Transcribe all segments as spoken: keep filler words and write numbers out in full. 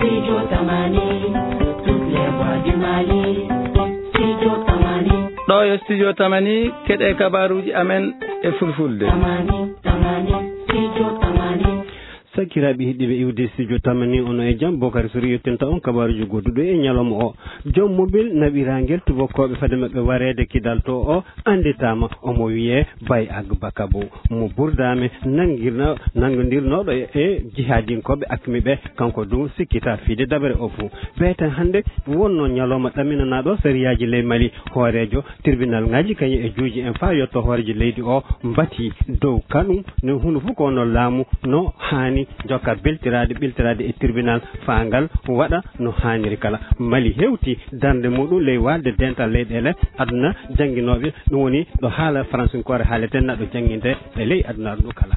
Studio Tamani, toutes les voix du Mali. Studio Tamani. Ɗo yo Studio Tamani, keɗe kabaruuji amen e Fulfulde. Tamani, Tamani, Studio Tamani. Sakiraaɓe heɗiiɓe iwde Studio Tamani, ono e jam, Bokari Sori yettinta on kabaruuji goɗɗuɗo e ñalawma o. Joom mobil naɓiraangel tubakooɓe fade maɓɓe wareede kidal to o annditaama, omo wiyee Bay Agba Kabo, mo Burdaame nanngirno-, nanngondirnooɗo e, e jihaadinkooɓe akmi ɓe, kanko du sikkita fiide dabere o fuu. Beeten hannde wonno ñalawma ɗamminanaaɗo sariyaaji ley Mali, hooreejo tribunal ŋaaji kañum e juuji en faa yotto hooreejo leydi o mbati dow kanum, no huunde fof ko wonno laamu no haani jokka beltiraade, ɓiltiraade e tribunal faa ngal waɗa no haaniri kala. Mali hewti darnde muɗum ley waalde dental leyɗeele aduna jannginooɓe, ɗum woni ɗo haala faransinkoore haaleten, naɗo jannginde e ley aduna ɗum kala.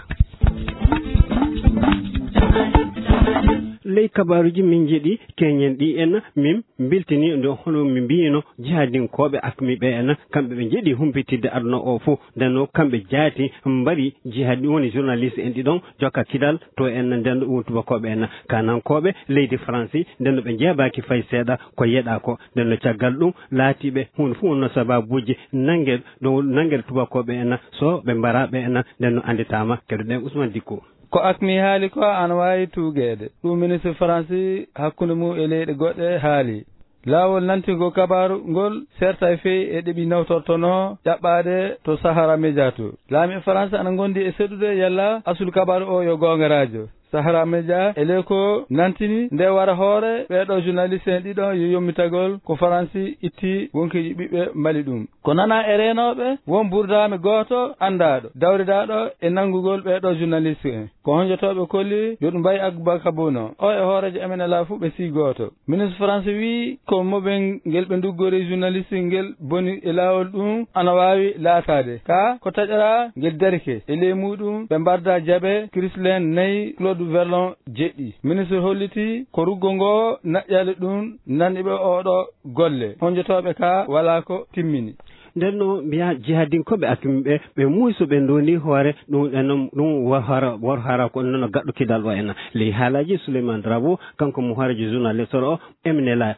Ley kabaaruuji min njeɗi keñen ɗi en, min mbiltini nde hono mi mbiyino jihadinkooɓe akmi ɓe en, kamɓe ɓe njeɗi humpitidde aduna o fof. Nden noon kamɓe jaati mbari jihadi, woni journaliste en ɗiɗon jokka kidal to en, nden ɗo woni tubakooɓe en, kanankooɓe leydi Faransi, nden no ɓe njeebaaki fay seeɗa ko yeɗa ko. Nden no caggal ɗum laatiiɓe huunde fof wonno sababuuji nannge ɗo nannge tubakooɓe en, so ɓe mbara ɓe en, nden no annditaama. Keɗoɗen Ousmane Dicko. Ko akmi haali ko ana waawi tuugeede. Ɗum ministre Faransi hakkunde mum e leyɗe goɗɗe haali. Laawol nantingol kabaaru ngol serta e feewi e ɗeɓi nawtortonoo ƴaɓɓaade to Sahara Media to. Laami e Faransi ana ngondi e seɗude yalla asulu kabaaru o yo goongaraajo. Sahara Media e ley ko nantini nde wara hoore ɓeeɗo journaliste en ɗiɗo yo yommitagol ko Faransi itti wonkiiji ɓiɓɓe Mali ɗum. Ko nana e reenooɓe won burdaami gooto anndaaɗo, dawridaaɗo e nanngugol ɓeeɗo journaliste en. Ko honjotooɓe kolli yo ɗum mbayi Agba Kabuno. O e hooreejo M N L A fuu ɓe sii gooto. Ministre France wii ko mobel ngel ɓe nduggori journaliste ngel boni e laawol ɗum ana waawi laataade. Ka ko taƴara ngel darike. E ley muuɗum ɓe mbarda jaɓe Christine nayi, Claude Verlon jeɗɗi. Ministre holliti ko ruggo ngo naƴƴali ɗum nanɗiɓe oɗo golle. Honjotooɓe ka walaa ko timmini. Nden no mbiya jihadinkooɓe akimi ɓe, ɓe muuso ɓe ndondi hoore, ɗum ɗen noon, ɗum wor hara, wor hara ko noon gaɗɗo kidal o en. Ley haalaaji Souleymane Drabo, kanko mo hooreejo journaliste o, M N L A,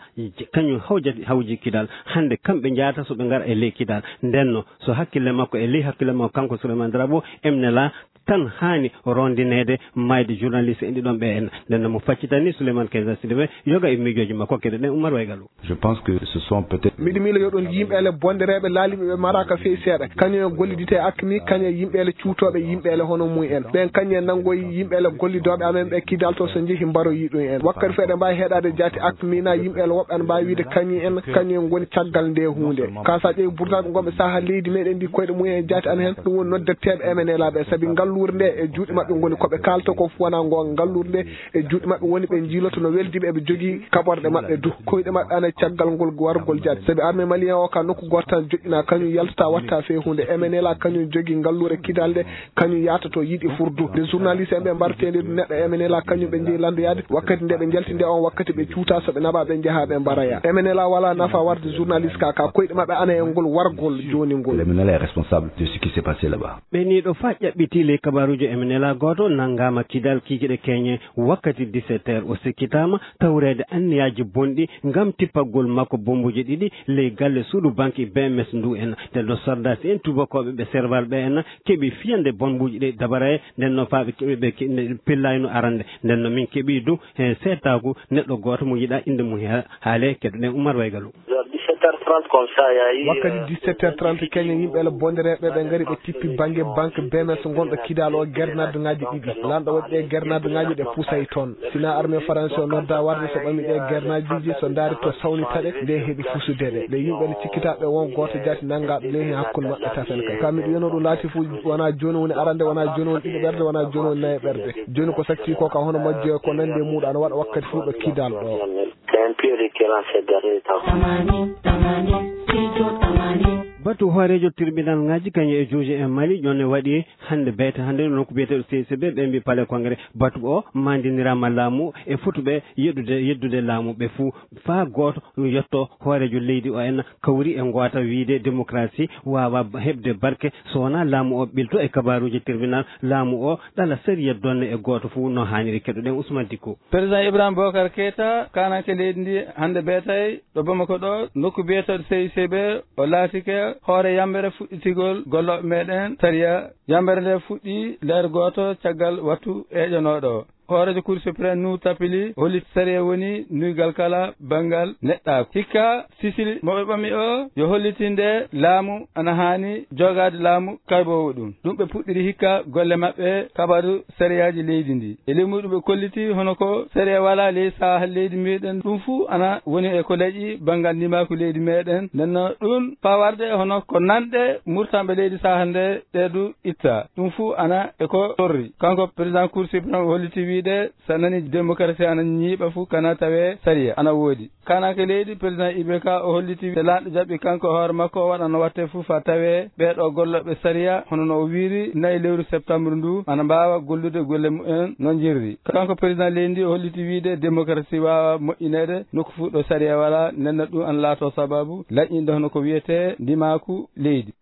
kañum hawjati, hawji kidal. Hannde kamɓe njahata so ɓe ngara e ley kidal. Nden no, so hakkille makko e ley hakkille makko, kanko Souleymane Drabo, M N L A tan haani rondineede maayde journaliste en ɗiɗon ɓe en. Nden no mo faccitani Souleymane Kaysa Sidibé, yoga e miijooji makko, keɗoɗen Oumar Waygalo. Je pense que ce sont peut-être Miɗo miila yo ɗum yimɓeele bondereeɓe laaliiɓe ɓe maraaka feewi seeɗa. Kañum en gollidite e akmi, kañum e yimɓeele cuutooɓe yimɓeele hono mum en. Ɓen kañum en nanngoyi yimɓeele gollidooɓe amen ɓe kidal to so njehi mbaroyi ɗum en. Wakkati feeɗa mbaawi heɗaade jaati akmi na yimɓeele woɓɓe ana mbaawi wiide kañum en, kañum en ngoni caggal nde huunde. Ka sa ƴeewi burtaaɓe ngonɓe saha leydi meɗen ndi koyɗe mum en e jaati an heen, ɗum woni noddetteeɓe M N L A ɓe. Sabi ngalluure nde e juuɗe maɓɓe ngoni ko ɓe kaalta ko fof wona ngoonga. Ngalluure nde e juuɗe maɓɓe woni ɓe njiiloto no weldiiɓe eɓe jogii kaɓorɗe maɓɓe du. Koyɗe maɓɓe ana e caggal ngol wargol jaati. Sabi armée malien o ka nokku gooto tan joɗɗina, kañum yaltata watta fee huunde. M N L A kañum jogii ngalluure kidal nde, kañum yahata to yiɗi furdu. Nde journaliste en ɓe mbarteede du neɗɗo M N L A kañum ɓe njehi lanndoyaade. Wakkati nde ɓe njalti nde on wakkati ɓe cuuta so ɓe naɓa ɓe njaha ɓe mbaraya. M N L A wala nafa warde journaliste ka, ka koyɗe maɓɓe ana e ngol wargol jooni ngol. Le M N L A est responsable de ce qui s'est passé là-bas. Ɓe ni ɗo fa ƴaɓɓiti ley kabaruuji M N L A gooto nanngaama kidal kikiɗe keñe wakkati dix-sept heures. O sikkitaama tawreede anniyaaji bonɗi ngam tippagol makko bommbuuji ɗiɗi ley galle suudu banki B M S ndu en. Nden no sordaasi en tubakooɓe ɓe Serval ɓe en keɓi fiyande bommbuuji ɗi dabaraye. Nden no faaɓe keɓi ɓe ke-, ne pillayno arande. Nden no min keɓi du he seetaaku neɗɗo gooto mo yiɗa innde mum he-, haale. Keɗoɗen Oumar Waygalo. Vers dix-sept heures trente comme ça, il y a eu, Wakkati euh, dix-sept heures trente keñen yimɓe le bondereeɓe ɓe ngari ɓe tippi bannge banque B M S ngonɗo kidal o gernadduŋaaji ɗiɗi. Lanɗo waɗi ɗe gernadduŋaaji ɗe pusay toon. Sina armée faransi o nodda warde so ɓami ɗe gernadduŋaaji so ndaari to sawni taɗe nde heɓi fusude ɗe. Nde yimɓe le cikkitaaɓe won gooto jaati nanngaaɗo ley heen hakkunde maɓɓe tafen ka. Ka miɗo wiyano ɗum laati fof wona jooni woni arande, wona jooni woni ɗiɗo ɓerde, wona jooni woni nayi ɓerde. Jooni ko satti ko ka hono majjo ko nandi e muuɗo ana waɗa wakkati fof ɗo kidal ɗo. C'est un peu récurrent ces derniers temps. Tamani, Tamani, Studio Tamani. Batu hooreejo tribunal ŋaaji kañum e juge e Mali, ƴonne waɗi hannde beete hannde nokku biyeteeɗo C C B, ɓe mbi palais congrès. Batu o mandiniraama laamu e fotuɓe yeddude, yeddude laamu ɓe fuu. Faa gooto yetto hooreejo leydi o en kawri e ngoota wiyde démocratie waawa heɓde barke so wonaa laamu o ɓilto e kabaaruuji tribunal. Laamu o ɗala sariya donne e gooto fuu no haaniri. Keɗoɗen Ousmane Dicko. Président Ibrahima Boubacar Keita, kaananke leydi ndi hannde beetay, ɗo Bamako ɗo, nokku biyeteeɗo C I C B, o laatike hoore yambere fuɗɗitigol gollooɓe meɗen sariya. Yambere nde fuɗɗi leer gooto caggal wattu eeƴanooɗo o. Hooreejo Cour suprême, Nuhu Tapili, holliti sariya woni nuygal kala banngal neɗɗaaku. Hikka Sisili mo ɓe ɓami o yo hollitinde laamu ana haani jogaade laamu kayboowo ɗum. Ɗum ɓe puɗɗiri hikka golle maɓɓe kabaru sariyaaji leydi ndi. E ley muɗum ɓe kolliti hono ko sariya walaa ley saha leydi meɗen. Ɗum fuu ana woni e ko leƴi banngal ndimaaku leydi meɗen. Nden no ɗum fawarde hono ko nanɗe murtanɓe leydi saha nde ɗe du itta. Ɗum fuu ana e ko torri. Kanko président Cour suprême o holliti wiide so a nani démocratie ana ñiiɓa fuu kana tawe sariya ana woodi. Kaananke leydi, président I B K, o holliti te laamɗo jaɓi kanko e hoore makko o waɗa no watte fuu faa tawee ɓee ɗoo gollooɓe sariya, hono no o wiiri, nayi lewru septembre ndu, ana mbaawa gollude golle mumen no njirri. Kanko président leydi ndi, o holliti wiide démocratie waawa moƴƴineede nokku fuu ɗo sariya walaa, nden no ɗum ana laatoo sababu laƴƴinde hono ko wiyetee ndimaaku leydi.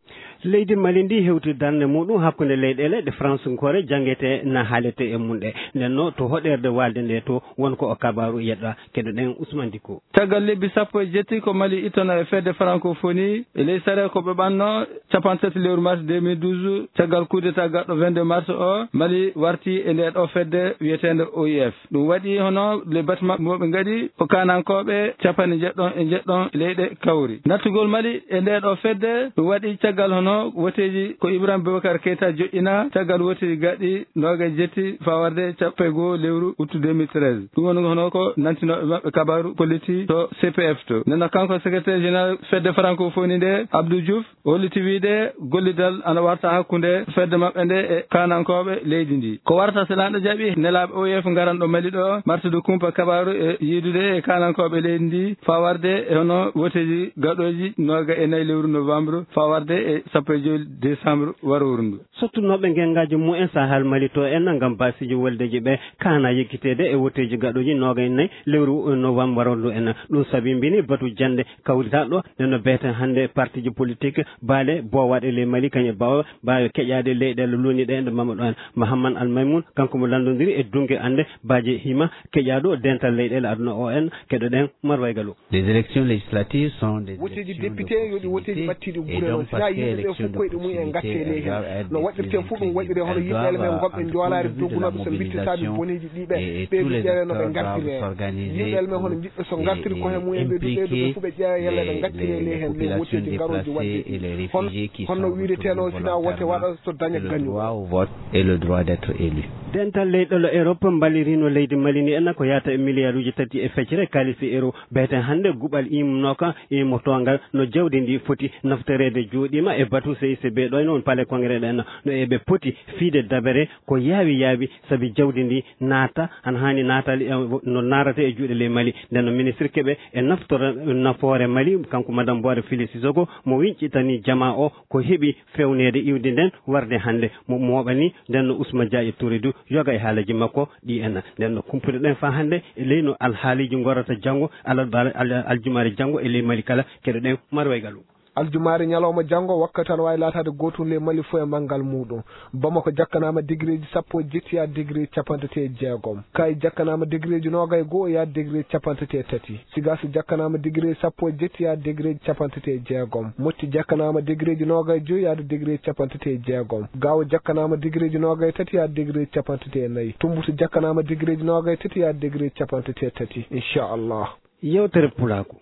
Leydi Mali ndi hewti darnde muɗum hakkunde leyɗeele ɗe Fransinkoore janngetee na haaletee e mum ɗe. Nden no to hoɗeerde waalde nde to won ko o kabaaru yeɗɗa. Keɗoɗen Ousmane Dicko. Caggal lebbi sappo e jetti ko Mali ittono e fedde Francophonie, e ley sare ko ɓe ɓanno capanɗe tati lewru mars deux mille douze, caggal coup d'état gaɗɗo vingt-deux mars o, Mali warti e nde ɗo fedde wiyeteende O I F. Ɗum waɗi hono le batma mo ɓe ngaɗi ko kaanankooɓe capanɗe njeɗɗon e njeɗɗon leyɗe kawri. Nattugol Mali e nde ɗo fedde ɗum waɗi caggal hono woteeji ko Ibrahim Boubacar Keita joƴƴina caggal woteeji gaɗɗi noogaye jetti faa warde capanɗe goo lewru août deux mille treize. Ɗum woni hono ko nantinooɓe maɓɓe kabaru kolliti to C P F to. Nden no kanko secrétaire général fedde francophonie nde, Abdou Diouf, o holliti wiide gollidal ana warta hakkunde fedde maɓɓe nde e kaanankooɓe leydi ndi. Ko warta so laamɗo jaɓi nelaaɓe O I F ngaran ɗo Mali ɗo, martude kumpa kabaaru e yiidude e kaanankooɓe leydi ndi, faa warde e hono woteeji gaɗooji noogaye e nayi lewru novembre, faa warde e sappo e joy décembre warooru ndu. Sottunooɓe ngenngaaji mumen Sahel Mali to en ngam baasiiji woldeeji ɓe kaana yeggiteede e woteeji gaɗooji noogaye e nayi lewru novembre warooru ndu en. Ɗum sabimbini batu jannde kawrital ɗo, nden no beeten hannde partiiji politik, baale boowaaɗe ley Mali, kañe baawa, mbaawa keƴaade leyɗeele luuni ɗe, nde mama ɗo en. Mahamman Al Maymun, kanko mo lanndondiri e duŋge annde baaji hima keƴaaɗo dental leyɗeele aduna O N, keɗoɗen Marway Galo. Les élections législatives sont des Woteeji élections député yo ɗi woteeji d'opportunité ɓattiiɗi et gure donc noon. Si parce naa que yimɓe ɓe élection fof koyɗe mum en d'opportunité, ngatte elles ley heen. Doivent être No waɗirtee fof ɗum waɗiree hono yimɓe elles doivent men goɓɓe en joolaare dogunoɓe so mbittitaaɓe boneeji ɗiɓe. Et ɓe tous les doƴƴere no ɓe acteurs doivent ngartiree. S'organiser. Yimɓe elles men hono njiɗɓe so ngartiri ko he mumen ɓe duɗe ɓe fof ɓe ƴeewa yalla ɓe ngartiree ley heen ley woteeji garooji waɗde ɗi. Hon-, honno wiireteenoo si naa wote waɗa so daña gañuɗo. Le droit au vote et le droit d'être élu. Dental leyɗeele Europe mballiriino leydi Mali ni en ko yahata e miliyaaruuji tati e feccere kaalisi euro. Beeten hannde guɓal immnooka e mo toongal no jawdi ndi foti naftoreede jooɗiima e batu C I C B ɗo e noon palais congrès ɗen no eɓe poti fiide dabere ko yaawi yaawi sabi jawdi ndi naata ana haani naataali e no naarata e juuɗe ley Mali. Nden no ministre keɓe e naftora nafoore Mali kanko madame Boire Fili Sissoko mo wiñcitani jamaa o ko heɓi fewneede iwdi nden warde hannde mo mooɓani nden no Ousmane Dia e Touré du yoga e haalaji makko ɗi en nden no kumpuɗe ɗen faa hannde e ley no alhaaliiji ngorata janngo alal-, al-, aljumaare janngo e ley Mali kala keɗoɗen Marway Galo. Aljumaare ñalawma janngo wakkati ana waawi laataade gootum ley Mali fof e manngal muuɗum. Bamako jakkanaama degré ji sappo e jetti yaa degré capanɗe tati e jeegom. Kaayi jakkanaama degré ji noogay goo yaa degré capanɗe tati e tati. Sigaas jakkanaama degré sappo e jetti yaa degré capanɗe tati e jeegom. Moƴƴi jakkanaama degré ji noogay joyi yaa degré capanɗe tati e jeegom. Gaawo jakkanaama degré ji noogay tati yaa degré capanɗe tati e nayi. Tumbus jakkanaama degré ji noogay tati yaa degré capanɗe tati e tati. Inchallah. Yewtere Pulaaku.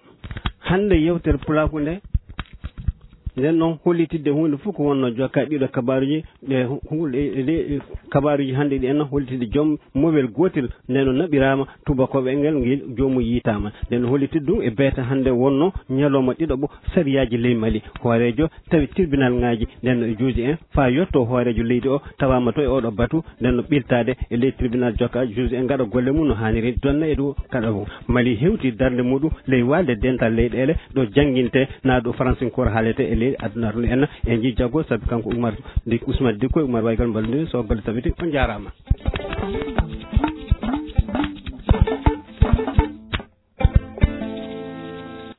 Hannde yewtere Pulaaku nde, nden noon hollitidde huunde fof ko wonno jokka ɗiɗo kabaaruji, E hu- hu- e- e- e- kabaaruuji hannde ɗi en hollitde joom mowel gootel, nden o naɓiraama tuubakooɓe ngel, ngel joomum yiytaama. Nden o holliti ɗum e beeta hannde wonno ñalawma ɗiɗaɓo sariyaaji ley Mali. Hooreejo tawi tribunal ŋaaji, nden no e juuji en faa yotto hooreejo leydi o tawaama to e oɗo batu, nden no ɓiltaade e ley tribunal jokka juuji en ngaɗa golle mum no haaniri donna e ɗo kaɗa o. Mali hewti darnde muɗum ley waalde dental leyɗeele ɗo jannginte naa ɗo faransinkoore haalete e ley aduna to en e njii jago sabi kanko Umar Dik Ousmane Dikko e Umar Waygal Mbalndi so golle tabiti on njaaraama.